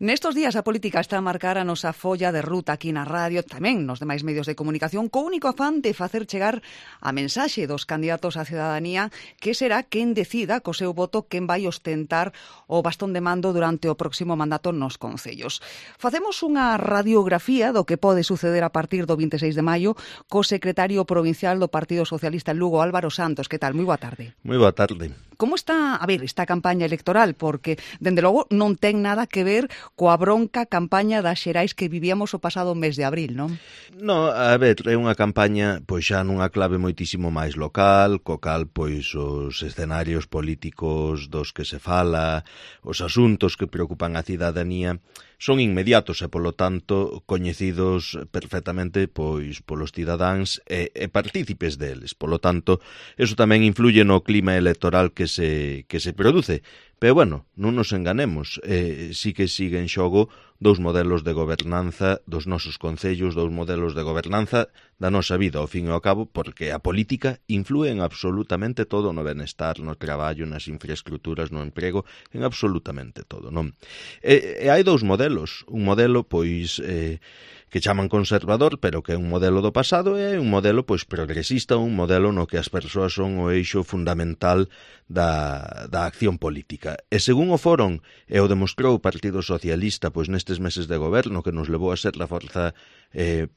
Nestos días a política está a marcar a nosa folla de ruta aquí na radio, tamén nos demais medios de comunicación, co único afán de facer chegar a mensaxe dos candidatos á cidadanía que será quen decida co seu voto quen vai ostentar o bastón de mando durante o próximo mandato nos concellos. Facemos unha radiografía do que pode suceder a partir do 26 de maio co secretario provincial do Partido Socialista en Lugo, Álvaro Santos. Que tal? Moi boa tarde. Moi boa tarde. Como está, esta campaña electoral? Porque, dende logo, non ten nada que ver coa bronca campaña das xerais que vivíamos o pasado mes de abril, non? No, a ver, é unha campaña pois xa nunha clave moitísimo máis local, co cal pois os escenarios políticos dos que se fala, os asuntos que preocupan a cidadanía son inmediatos e, polo tanto, coñecidos perfectamente pois polos cidadáns e partícipes deles. Polo tanto, eso tamén influye no clima electoral que se produce. Pero, bueno, non nos enganemos, sí que sigue en xogo dous modelos de gobernanza dos nosos concellos, dous modelos de gobernanza da nosa vida, ao fin e ao cabo, porque a política influe en absolutamente todo, no benestar, no traballo, nas infraestructuras, no emprego, en absolutamente todo, non? E hai dous modelos, un modelo, pois, que chaman conservador, pero que é un modelo do pasado, e un modelo pois progresista, un modelo no que as persoas son o eixo fundamental da acción política. E según o foron e o demostrou o Partido Socialista pois nestes meses de goberno que nos levou a ser a forza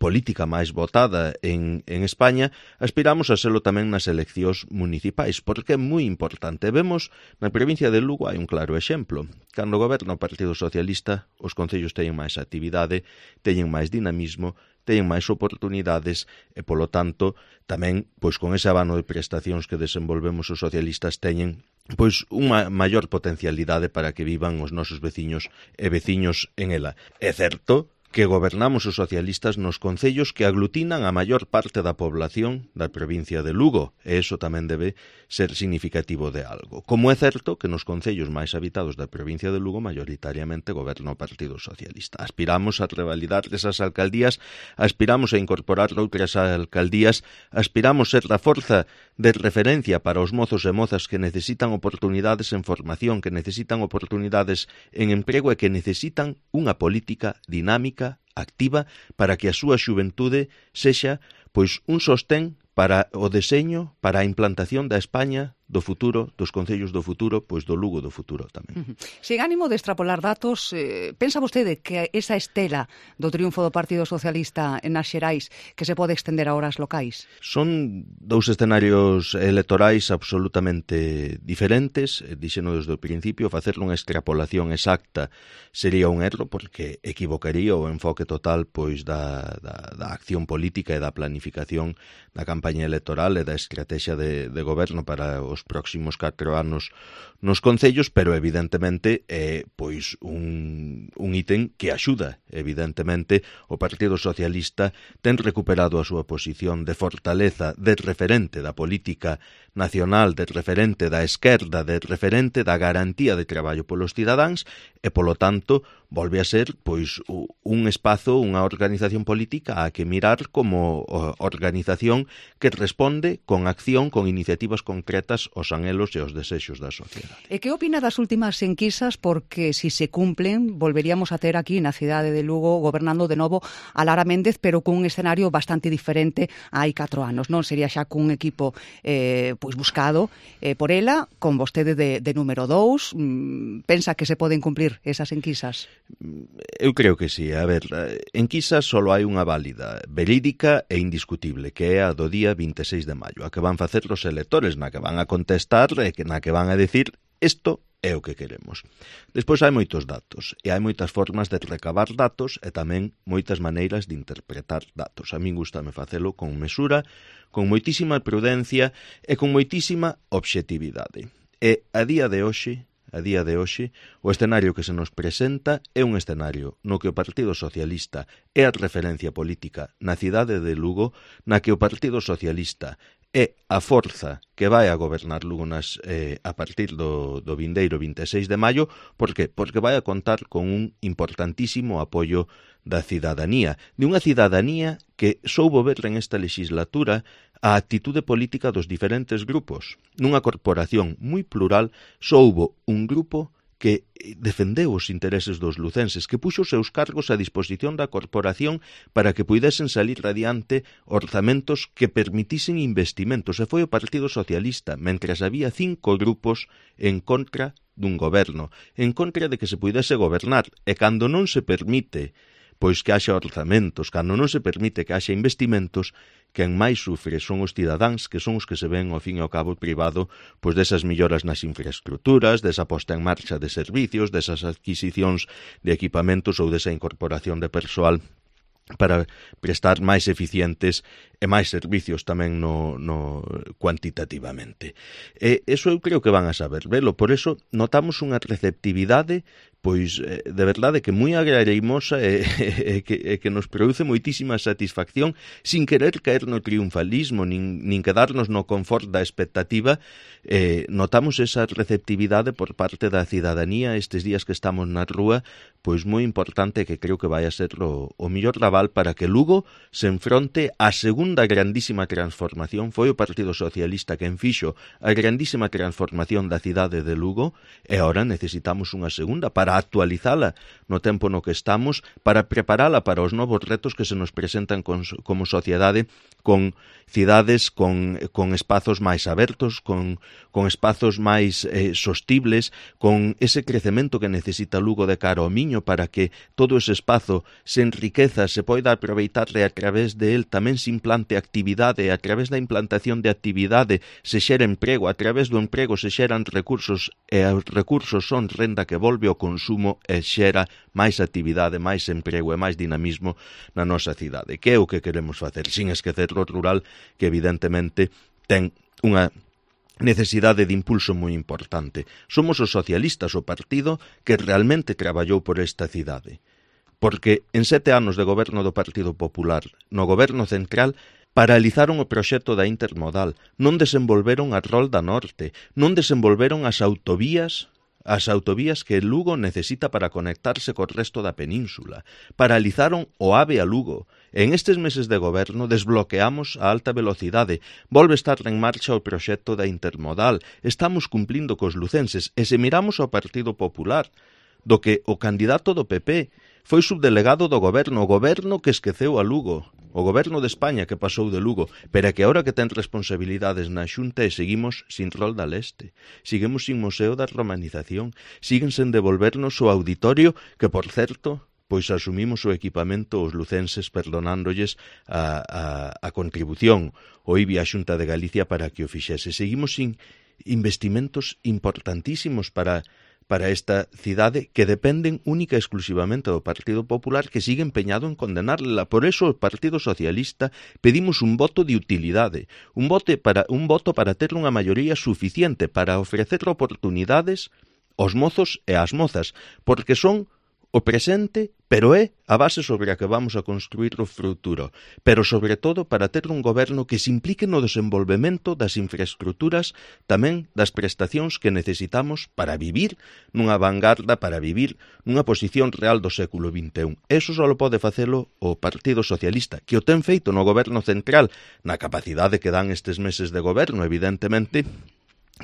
política máis votada en España, aspiramos a selo tamén nas eleccións municipais, porque é moi importante. Vemos na provincia de Lugo hai un claro exemplo. Cando goberna o Partido Socialista, os concellos teñen máis actividade, teñen máis dinamismo, teñen máis oportunidades e, polo tanto, tamén, pois con ese abano de prestacións que desenvolvemos os socialistas teñen pois unha maior potencialidade para que vivan os nosos veciños e veciños en ela. É certo que gobernamos os socialistas nos concellos que aglutinan a maior parte da población da provincia de Lugo, e iso tamén debe ser significativo de algo. Como é certo que nos concellos máis habitados da provincia de Lugo maioritariamente goberna o Partido Socialista. Aspiramos a revalidar esas alcaldías, aspiramos a incorporar outras alcaldías, aspiramos ser da forza de referencia para os mozos e mozas que necesitan oportunidades en formación, que necesitan oportunidades en emprego e que necesitan unha política dinámica activa para que a súa xuventude sexa pois un sostén para o deseño, para a implantación da España do futuro, dos concellos do futuro, pois do Lugo do futuro tamén. Sen ánimo de extrapolar datos, pensa vostede que esa estela do triunfo do Partido Socialista en as xerais que se pode extender a horas locais? Son dous escenarios electorais absolutamente diferentes, dixeno desde o principio, facer unha extrapolación exacta sería un erro porque equivocaría o enfoque total pois da acción política e da planificación da campaña electoral e da estrategia de goberno para os próximos 4 anos nos concellos, pero evidentemente é pois un ítem que axuda. Evidentemente o Partido Socialista ten recuperado a súa posición de fortaleza, de referente da política nacional, de referente da esquerda, de referente da garantía de traballo polos cidadáns e, polo tanto, volve a ser pois un espazo, unha organización política a que mirar como organización que responde con acción, con iniciativas concretas aos anhelos e aos desexos da sociedade. E que opina das últimas enquisas? Porque si se cumplen, volveríamos a ter aquí na cidade de Lugo gobernando de novo a Lara Méndez, pero cun escenario bastante diferente hai 4 anos, non? Sería xa cun equipo pois buscado por ela, con vostede de número 2. Pensa que se poden cumplir esas enquisas? Eu creo que sí. A ver, enquisas só hai unha válida, verídica e indiscutible, que é a do día 26 de maio, a que van facer os electores, na que van a contestar e na que van a decir isto é o que queremos. Despois hai moitos datos e hai moitas formas de recabar datos e tamén moitas maneiras de interpretar datos. A min gustame facelo con mesura, con moitísima prudencia e con moitísima obxectividade. E a día de hoxe, o escenario que se nos presenta é un escenario no que o Partido Socialista é a referencia política na cidade de Lugo, na que o Partido Socialista é a forza que vai a gobernar Lugo a partir do vindeiro 26 de maio. Por que? Porque vai a contar con un importantísimo apoio da cidadanía, de unha cidadanía que soubo ver en esta legislatura a actitude política dos diferentes grupos. Nunha corporación moi plural soubo un grupo que defendeu os intereses dos lucenses, que puxo os seus cargos a disposición da corporación para que puidesen salir adiante orzamentos que permitisen investimentos, e foi o Partido Socialista, mentras había 5 grupos en contra dun goberno, en contra de que se puidese gobernar, e cando non se permite pois que haxa orzamentos, cando non se permite que haxa investimentos, quen máis sufre son os cidadáns, que son os que se ven ao fin e ao cabo privado pois desas melloras nas infraestructuras, desa posta en marcha de servicios, desas adquisicións de equipamentos ou desa incorporación de persoal para prestar máis eficientes e máis servicios tamén cuantitativamente. E iso eu creo que van a saber velo, por eso notamos unha receptividade pois de verdade que moi agrareimosa e que nos produce moitísima satisfacción sin querer caer no triunfalismo nin quedarnos no confort da expectativa. Notamos esa receptividade por parte da cidadanía estes días que estamos na rúa, pois moi importante, que creo que vai a ser o mellor aval para que Lugo se enfronte á segunda grandísima transformación. Foi o Partido Socialista quen fixo a grandísima transformación da cidade de Lugo, e agora necesitamos unha segunda para actualizala no tempo no que estamos, para preparala para os novos retos que se nos presentan como sociedade, con cidades con espazos máis abertos, con espazos máis sostibles, con ese crecemento que necesita Lugo de cara ao Miño, para que todo ese espazo se enriqueza, se poida aproveitar e a través de él tamén se implante actividade, a través da implantación de actividade se xera emprego, a través do emprego se xeran recursos, e os recursos son renda que volve ao consumo e xera máis actividade, máis emprego e máis dinamismo na nosa cidade, que é o que queremos facer, sin esquecer o rural, que evidentemente ten unha necesidade de impulso moi importante. Somos os socialistas o partido que realmente traballou por esta cidade, porque en 7 anos de goberno do Partido Popular, no goberno central, paralizaron o proxecto da intermodal, non desenvolveron a Rolda Norte, non desenvolveron as autovías que Lugo necesita para conectarse co resto da península. Paralizaron o AVE a Lugo. En estes meses de goberno desbloqueamos a alta velocidade. Volve estar en marcha o proxecto da intermodal. Estamos cumplindo cos lucenses. E se miramos ao Partido Popular, do que o candidato do PP foi subdelegado do goberno, o goberno que esqueceu a Lugo, o goberno de España que pasou de Lugo, pero que agora que ten responsabilidades na Xunta e seguimos sin Rolda Leste, seguimos sin Museo da Romanización, siguen sen devolvernos o auditorio que, por certo, pois asumimos o equipamento os lucenses perdonándolles a contribución o IBI á Xunta de Galicia para que o fixese. Seguimos sin investimentos importantísimos para esta cidade que dependen única e exclusivamente do Partido Popular, que sigue empeñado en condenarla. Por eso o Partido Socialista pedimos un voto de utilidade, un voto para ter unha maioría suficiente para ofrecer oportunidades aos mozos e ás mozas, porque son o presente, pero é a base sobre a que vamos a construir o futuro, pero sobre todo para ter un goberno que se implique no desenvolvemento das infraestructuras, tamén das prestacións que necesitamos para vivir nunha vanguarda, para vivir nunha posición real do século XXI. Eso só pode facelo o Partido Socialista, que o ten feito no goberno central, na capacidade que dan estes meses de goberno, evidentemente.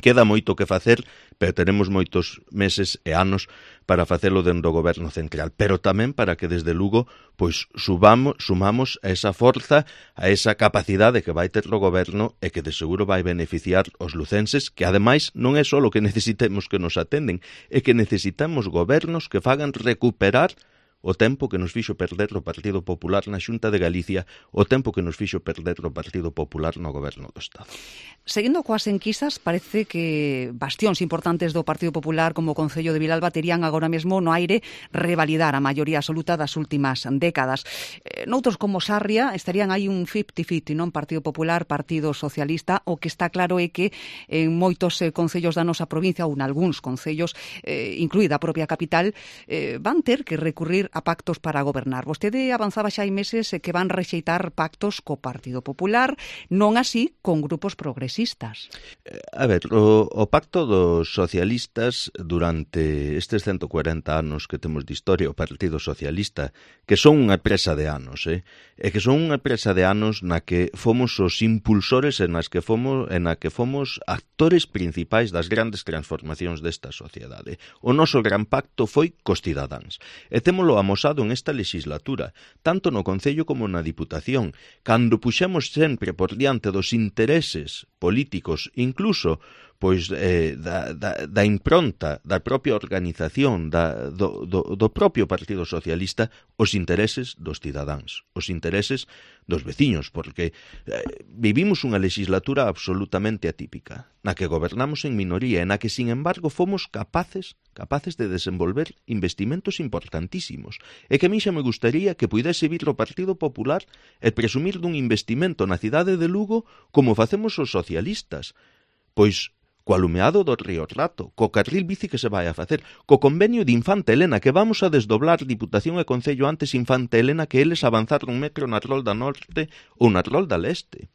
Queda moito que facer, pero teremos moitos meses e anos para facelo dentro do goberno central, pero tamén para que desde Lugo pois sumamos a esa forza, a esa capacidade que vai ter o goberno e que de seguro vai beneficiar os lucenses, que ademais non é só o que necesitemos que nos atenden, é que necesitamos gobernos que fagan recuperar o tempo que nos fixo perder o Partido Popular na Xunta de Galicia, o tempo que nos fixo perder o Partido Popular no goberno do Estado. Seguindo coas enquisas, parece que bastións importantes do Partido Popular como o Concello de Vilalba terían agora mesmo no aire revalidar a maioría absoluta das últimas décadas. Noutros como Sarria estarían aí un 50-50, non? Partido Popular, Partido Socialista. O que está claro é que en moitos concellos da nosa provincia ou en algúns concellos, incluída a propia capital, van ter que recurrir ir a pactos para gobernar. Vostede avanzaba xa hai meses que van rexeitar pactos co Partido Popular, non así con grupos progresistas. A ver, o pacto dos socialistas durante estes 140 anos que temos de historia, o Partido Socialista, que son unha presa de anos, e que son unha presa de anos na que fomos os impulsores e na que fomos actores principais das grandes transformacións desta sociedade. O noso gran pacto foi cos cidadáns, e témolo amosado en esta legislatura, tanto no Concello como na Diputación, cando puxemos sempre por diante dos intereses políticos, incluso pois da impronta da propia organización do propio Partido Socialista, os intereses dos cidadáns, os intereses dos veciños, porque vivimos unha legislatura absolutamente atípica, na que gobernamos en minoría, e na que, sin embargo, fomos capaces de desenvolver investimentos importantísimos, e que a mí xa me gustaría que puidese vir o Partido Popular e presumir dun investimento na cidade de Lugo como facemos os socialistas, pois co alumeado do Río Rato, co carril bici que se vai a facer, co convenio de Infanta Elena, que vamos a desdoblar Diputación e Concello antes Infanta Elena que eles avanzaron un metro na Rolda Norte ou na Rolda Leste.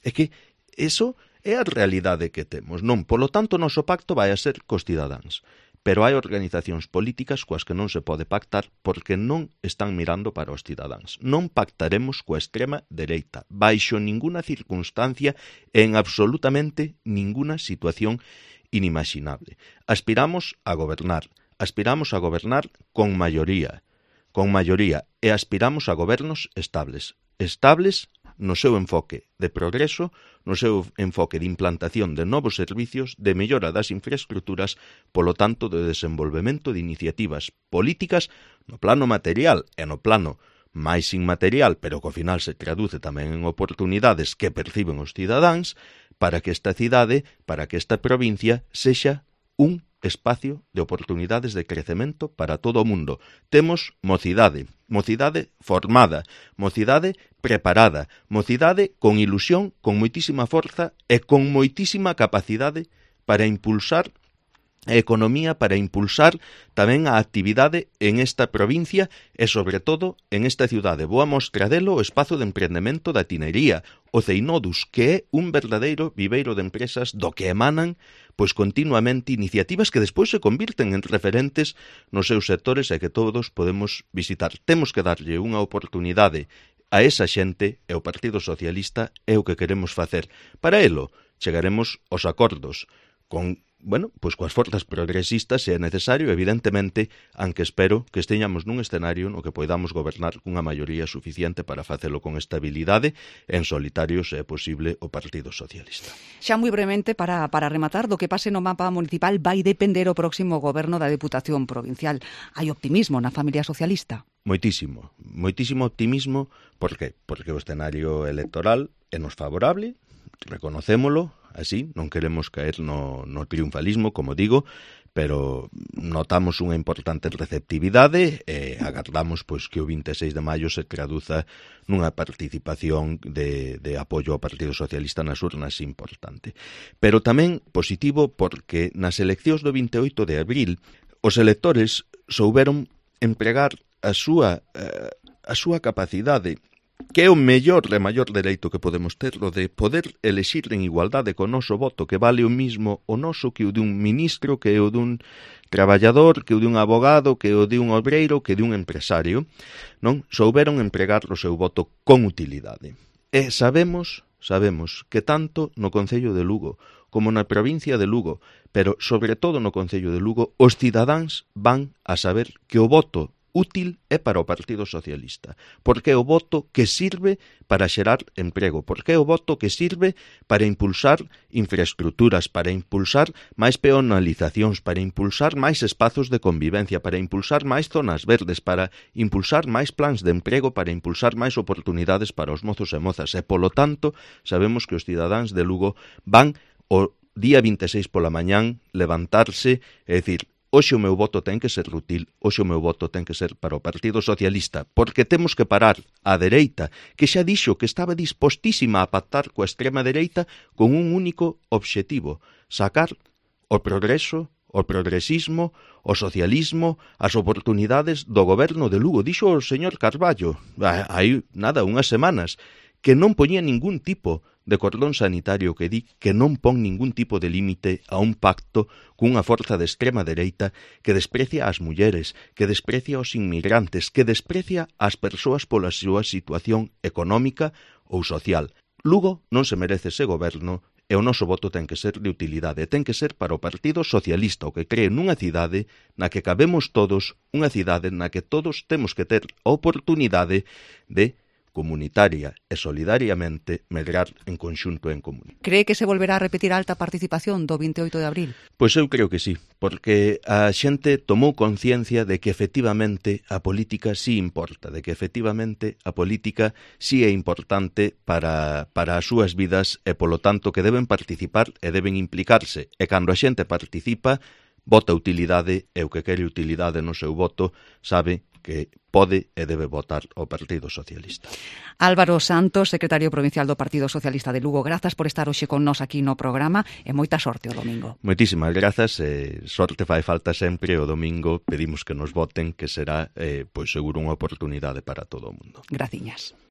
É que eso é a realidade que temos, non? Polo tanto, o noso pacto vai a ser cos cidadáns. Pero hai organizacións políticas coas que non se pode pactar porque non están mirando para os cidadáns. Non pactaremos coa extrema dereita, baixo ninguna circunstancia e en absolutamente ninguna situación inimaginable. Aspiramos a gobernar con maioría, e aspiramos a gobernos estables no seu enfoque de progreso, no seu enfoque de implantación de novos servicios, de mellora das infraestructuras, polo tanto, de desenvolvemento de iniciativas políticas no plano material e no plano máis inmaterial, pero que ao final se traduce tamén en oportunidades que perciben os cidadáns, para que esta cidade, para que esta provincia sexa un espacio de oportunidades de crecemento para todo o mundo. Temos mocidade formada, mocidade preparada, mocidade con ilusión, con moitísima forza e con moitísima capacidade para impulsar a economía, para impulsar tamén a actividade en esta provincia e, sobre todo, en esta cidade. Boa mostra delo o espazo de emprendemento da Tinería, o Ceinodus, que é un verdadeiro viveiro de empresas do que emanan pois continuamente iniciativas que despois se convirten en referentes nos seus sectores e que todos podemos visitar. Temos que darlle unha oportunidade a esa xente e o Partido Socialista é o que queremos facer. Para elo, chegaremos aos acordos con coas forzas progresistas se é necesario, evidentemente, aunque espero que esteñamos nun escenario no que poidamos gobernar cunha maioría suficiente para facelo con estabilidade, en solitario, se é posible, o Partido Socialista. Xa moi brevemente, para rematar, do que pase no mapa municipal vai depender o próximo goberno da Deputación Provincial. Hai optimismo na familia socialista? Moitísimo optimismo. Por qué? Porque o escenario electoral é nos favorable, reconocémolo, así, non queremos caer no triunfalismo, como digo, pero notamos unha importante receptividade e agardamos pois que o 26 de maio se traduza nunha participación de apoio ao Partido Socialista nas urnas importante. Pero tamén positivo porque nas eleccións do 28 de abril os electores souberon empregar a súa capacidade, que é o mellor e maior dereito que podemos ter, o de poder elexir en igualdade co noso voto, que vale o mismo o noso que o de un ministro, que o dun traballador, que o de un abogado, que o de un obreiro, que de un empresario, non? Souberon empregar o seu voto con utilidade. E sabemos que tanto no Concello de Lugo como na provincia de Lugo, pero sobre todo no Concello de Lugo, os cidadáns van a saber que o voto útil é para o Partido Socialista, porque é o voto que sirve para xerar emprego, porque é o voto que sirve para impulsar infraestructuras, para impulsar máis peonalizacións, para impulsar máis espazos de convivencia, para impulsar máis zonas verdes, para impulsar máis plans de emprego, para impulsar máis oportunidades para os mozos e mozas, e polo tanto sabemos que os cidadáns de Lugo van o día 26 pola mañán levantarse e dicir: hoxe o meu voto ten que ser útil, hoxe o meu voto ten que ser para o Partido Socialista, porque temos que parar a dereita, que xa dixo que estaba dispostísima a pactar coa extrema dereita con un único obxectivo: sacar o progreso, o progresismo, o socialismo, as oportunidades do goberno de Lugo. Dixo o señor Carballo, hai nada, unhas semanas, que non poñía ningún tipo de cordón sanitario, que di que non pon ningún tipo de límite a un pacto cunha forza de extrema dereita que desprecia as mulleres, que desprecia os inmigrantes, que desprecia as persoas pola súa situación económica ou social. Lugo non se merece ese goberno e o noso voto ten que ser de utilidade, ten que ser para o Partido Socialista, o que cree nunha cidade na que cabemos todos, unha cidade na que todos temos que ter a oportunidade de comunitaria e solidariamente medrar en conxunto e en común. Cree que se volverá a repetir a alta participación do 28 de abril? Pois eu creo que sí, porque a xente tomou conciencia de que efectivamente a política sí importa, de que efectivamente a política sí é importante para as súas vidas e, polo tanto, que deben participar e deben implicarse. E cando a xente participa, vota utilidade e o que quere utilidade no seu voto sabe que pode e debe votar o Partido Socialista. Álvaro Santos, secretario provincial do Partido Socialista de Lugo, grazas por estar hoxe con nós aquí no programa e moita sorte o domingo. Moitísimas grazas, sorte fai falta sempre o domingo, pedimos que nos voten, que será, pois seguro, unha oportunidade para todo o mundo. Graciñas.